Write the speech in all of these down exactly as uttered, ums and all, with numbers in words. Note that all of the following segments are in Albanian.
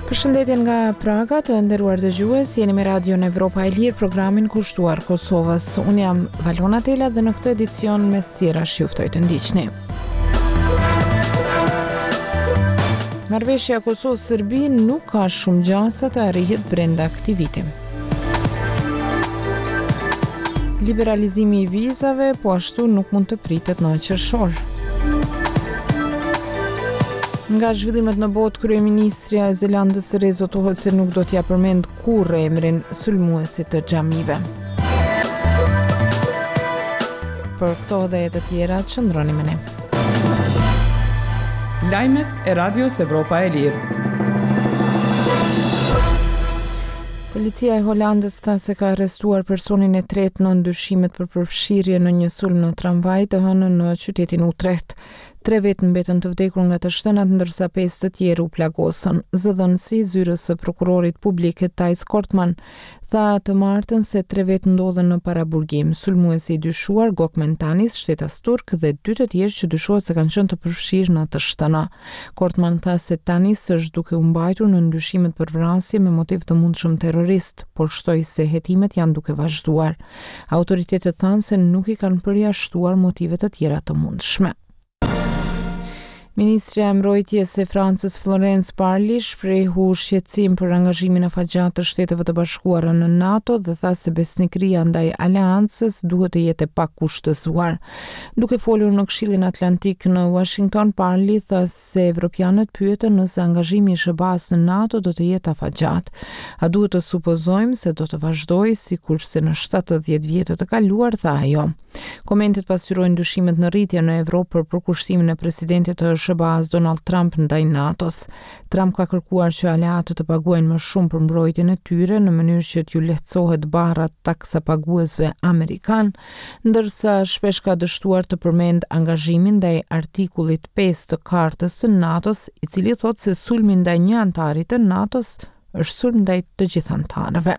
Përshëndetje nga Praga, të nderuar dëgjues, jeni me Radion Evropa e Lirë, programin kushtuar Kosovës. Unë jam Valona Tela dhe në këtë edicion mes tjerash ju ftoj të ndiqni. Marrëveshja Kosovë-Serbi nuk ka shumë gjasa të arrihet brenda këtij viti. Liberalizimi i vizave po ashtu nuk mund të pritet në qershor. Nga zhvillimet në botë, kryeministrja e Zelandës së Re zotohet se nuk do t'ia përmend kurrë emrin sulmuesit të xhamive. Për këto dhe të tjera, qëndroni me ne. Lajmet e Radios Evropa e Lirë. Policia e Holandës tha se ka arrestuar personin e tretë në dyshimet për përfshirje në një sulm në tramvaj të hënën në qytetin Utrecht. Tre vetë mbetën të vdekur nga të shtënat, ndërsa pesë të tjerë u plagosën. Zëdhënësi i zyrës së prokurorit publik Thijs Kortman tha të martën se tre vetë ndodhen në paraburgim. Sulmuesi i dyshuar Gokmen Tanis, shtetas turk dhe dy të tjerë që dyshohet se kanë qenë të përfshirë në të shtëna. Kortman tha se Tanis është duke u mbajtur në dyshimet për vrasje me motiv të mundshëm terrorist, por shtoi se hetimet janë duke vazhduar. Autoritetet thanë se nuk i kanë përjashtuar motive të tjera të mundshme. Ministrja e Mbrojtjes e Francës Florence Parly shprehu shqetësim për angazhimin afatgjatë të Shteteve të Bashkuara në NATO dhe tha se besnikëria ndaj aleancës duhet të jetë e pakushtëzuar. Duke folur në Këshillin Atlantik në Washington, Parly tha se evropianët pyetën nëse angazhimi i S H B A-s në NATO do të jetë afatgjatë. A duhet të supozojmë se do të vazhdojë sikurse në shtatëdhjetë vjetët të kaluar, tha ajo. Komentet pasqyrojnë dyshimet në rritje në Evropë për përkushtimin e presidentit të S H B A-s Donald Trump ndaj NATO-s. Trump ka kërkuar që aleatët të paguajnë më shumë për mbrojtjen e tyre në mënyrë që t'ju lehtësohet barra taksapaguesve amerikan, ndërsa shpesh ka dështuar të përmend angazhimin ndaj artikullit pesë të kartës së NATO-s, i cili thotë se sulmi ndaj një anëtari të NATO-s është sulm ndaj të gjithë anëtarëve.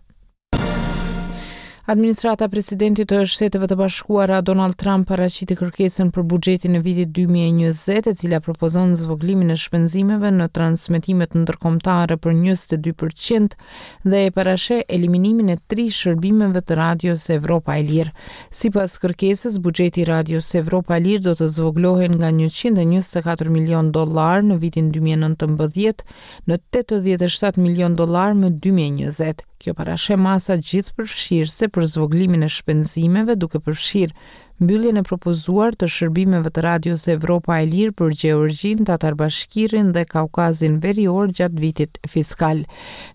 Administrata e presidentit të Shteteve të Bashkuara Donald Trump paraqiti kërkesën për buxhetin e vitit dy mijë e njëzet, e cila propozon zvogëlimin e shpenzimeve në transmetimet ndërkombëtare për njëzet e dy për qind dhe e parasheh eliminimin e tri shërbimeve të Radios Evropa e Lirë. Sipas kërkesës, buxheti i Radios Evropa e Lirë do të zvogëlohej nga njëqind e njëzet e katër milion dollar në vitin dy mijë e nëntëmbëdhjetë në tetëdhjetë e shtatë milion dollar më dy mijë e njëzet. Kjo parasheh masa gjithëpërfshirëse për zvogëlimin e shpenzimeve, duke përfshirë mbylljen e propozuar të shërbimeve të Radios Evropa e Lirë për Gjeorgjinë, Tatar Bashkirin dhe Kaukazin Verior gjatë vitit fiskal.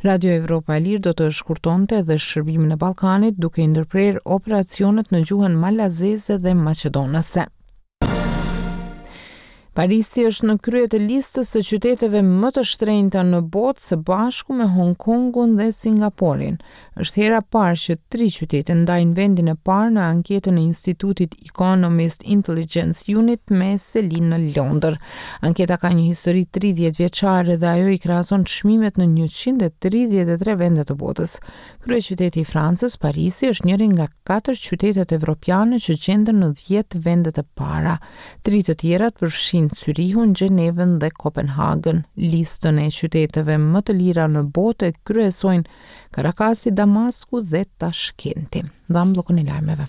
Radio Evropa e Lirë do të shkurtonte edhe shërbimin e Ballkanit, duke i ndërprerë operacionet në gjuhën malazeze dhe maqedonase. Parisi është në krye të listës së qyteteve më të shtrenjta në botë së bashku me Hong Kongun dhe Singaporin. Është hera parë që tri qytete ndajnë vendin e parë në anketën e Institutit Economist Intelligence Unit me selinë në Londër. Anketa ka një histori tridhjetë vjeçare dhe ajo i krahason çmimet në njëqind e tridhjetë e tre vende të botës. Kryeqyteti i Francës, Parisi, është njëri nga katër qytetet evropiane që gjenden në dhjetë vendet e para. Tri të tjerat përfshijnë Cyrihun, Gjenevën dhe Kopenhagën. Listën e qyteteve më të lira në botë e kryesojnë Karakasi, Damasku dhe Tashkenti. Ndam bllokun e lajmeve.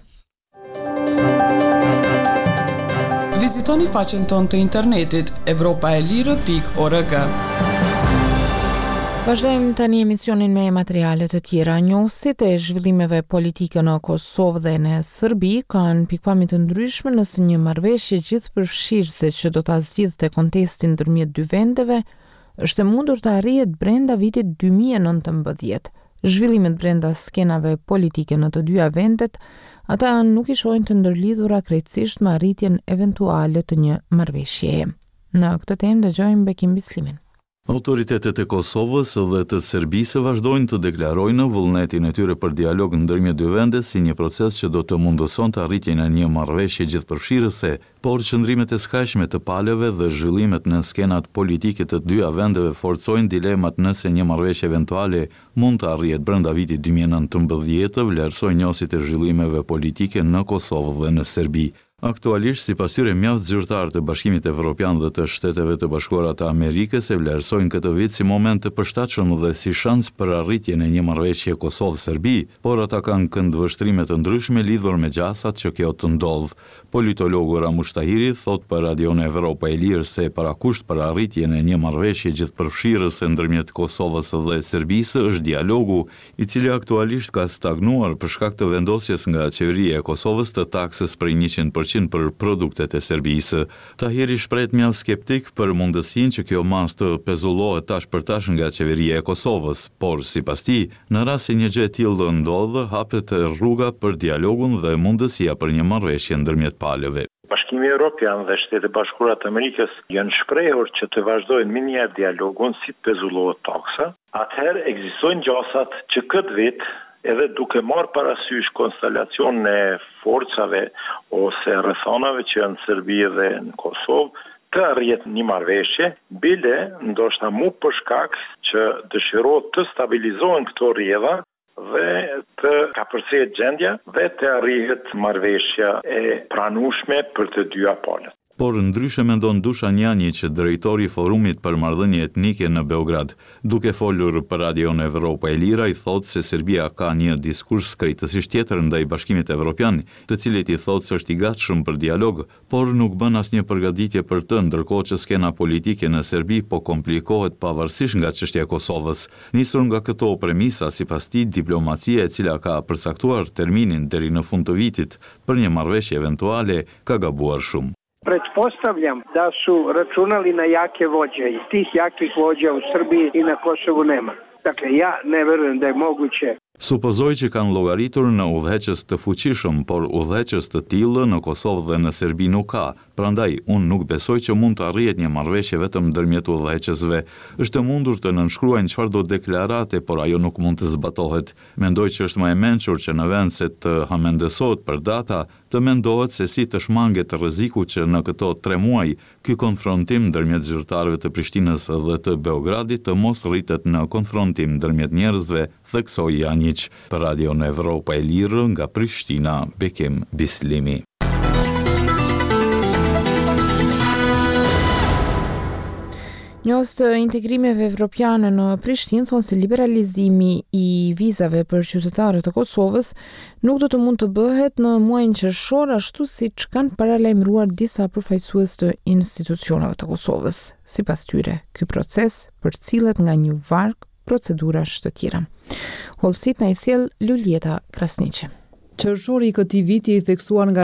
Vizitoni faqen tonë të internetit evropaelire pikë org. Vazhdojmë tani emisionin me materiale të tjera. Njohësit e zhvillimeve politike në Kosovë dhe në Serbi kanë pikëpamje të ndryshme nëse një marrëveshje gjithëpërfshirëse që do ta zgjidhte kontestin ndërmjet dy vendeve është e mundur të arrihet brenda vitit dy mijë e nëntëmbëdhjetë. Zhvillimet brenda skenave politike në të dyja vendet, ata nuk i shohin të ndërlidhura krejtësisht me arritjen eventuale të një marrëveshjeje. Në këtë temë dëgjojmë Bekim Bislimin. Autoritetet e Kosovës dhe të Serbisë vazhdojnë të deklarojnë vullnetin e tyre për dialog ndërmjet dy vende si një proces që do të mundësonte arritjen e një marrëveshje gjithëpërfshirëse, por qëndrimet e skajshme të palëve dhe zhvillimet në skenat politike të dyja vendeve forcojnë dilemat nëse një marrëveshje eventuale mund të arrihet brenda vitit dy mijë e nëntëmbëdhjetë, vlerësojnë njohësit e zhvillimeve politike në Kosovë dhe në Serbi. Aktualisht, sipas tyre, mjaft zyrtarë të Bashkimit Evropian dhe të Shteteve të Bashkuara të Amerikës e vlerësojnë këtë vit si moment të përshtatshëm dhe si shans për arritjen e një marrëveshje Kosovë-Serbi, por ata kanë këndvështrime të ndryshme lidhur me gjasat që kjo të ndodhë. Politologu Ramush Tahiri thotë për Radion Evropa e Lirë se parakusht për arritjen e një marrëveshje gjithëpërfshirëse ndërmjet Kosovës dhe Serbisë është dialogu, i cili aktualisht ka stagnuar për shkak të vendosjes nga qeveria e Kosovës të taksës prej njëqind për qind për produktet e Serbisë. Tahiri shprehet mjaft skeptik për mundësinë që kjo masë të pezullohet tash për tash nga qeveria e Kosovës, por sipas tij, në rast se një gjë e tillë ndodh, hapet rruga për dialogun dhe mundësia për një marrëveshje ndërmjet palëve. Bashkimi Evropian dhe Shtetet e Bashkuara të Amerikës janë shprehur që të vazhdojnë menjëherë dialogun si të pezullohet taksa. Atëherë ekzistojnë gjasat që këtë vit, edhe duke marrë parasysh konstelacionin e forcave ose rrethanave që janë në Serbi dhe në Kosovë, të arrihet një marrëveshje, bile ndoshta mu për shkak që dëshirohet të stabilizohen këto rrjedha dhe të kapërcehet gjendja dhe të arrihet marrëveshja e pranueshme për të dyja palët. Por ndryshe mendon Dushan Janjiq, drejtori i Forumit për Marrëdhënie Etnike në Beograd. Duke folur për Radion Evropa e Lirë, ai thotë se Serbia ka një diskurs krejtësisht tjetër ndaj Bashkimit Evropian, të cilit i thotë se është i gatshëm për dialog, por nuk bën asnjë përgatitje për të, ndërkohë që skena politike në Serbi po komplikohet pavarësisht nga çështja e Kosovës. Nisur nga këto premisa, sipas tij, diplomacia e cila ka përcaktuar terminin deri në fund të vitit për një marrëveshje eventuale ka gabuar shumë. Pretpostavljam da su računali na jake vođe i tih jakih vođa u Srbiji i na Kosovu nema. Dakle, ja ne verujem da je moguće. Supozoj që kanë llogaritur në udhëheqës të fuqishëm, por udhëheqës të tillë në Kosovë dhe në Serbi nuk ka. Prandaj, unë nuk besoj që mund të arrihet një marrëveshje vetëm ndërmjet udhëheqësve. Është e mundur të nënshkruajnë çfarëdo deklarate, por ajo nuk mund të zbatohet. Mendoj që është më e mençur që në vend se të hamendësohet për data, të mendohet se si të shmanget rreziku që në këto tre muaj ky konfrontim ndërmjet zyrtarëve të Prishtinës dhe të Beogradit të mos rritet në konfrontim ndërmjet njerëzve, theksoi Janjiq. Për Radion Evropa e Lirë nga Prishtina, Bekim Bislimi. Njohës të integrimeve evropiane në Prishtinë thonë se liberalizimi i vizave për qytetarët e Kosovës nuk do të mund të bëhet në muajin qershor, ashtu siç kanë paralajmëruar disa përfaqësues të institucioneve të Kosovës. Sipas tyre, ky proces përcillet nga një varg procedurash të tjera. Hollësit na i sjell Luljeta Krasniqi. Qershori i këtij viti i theksuar nga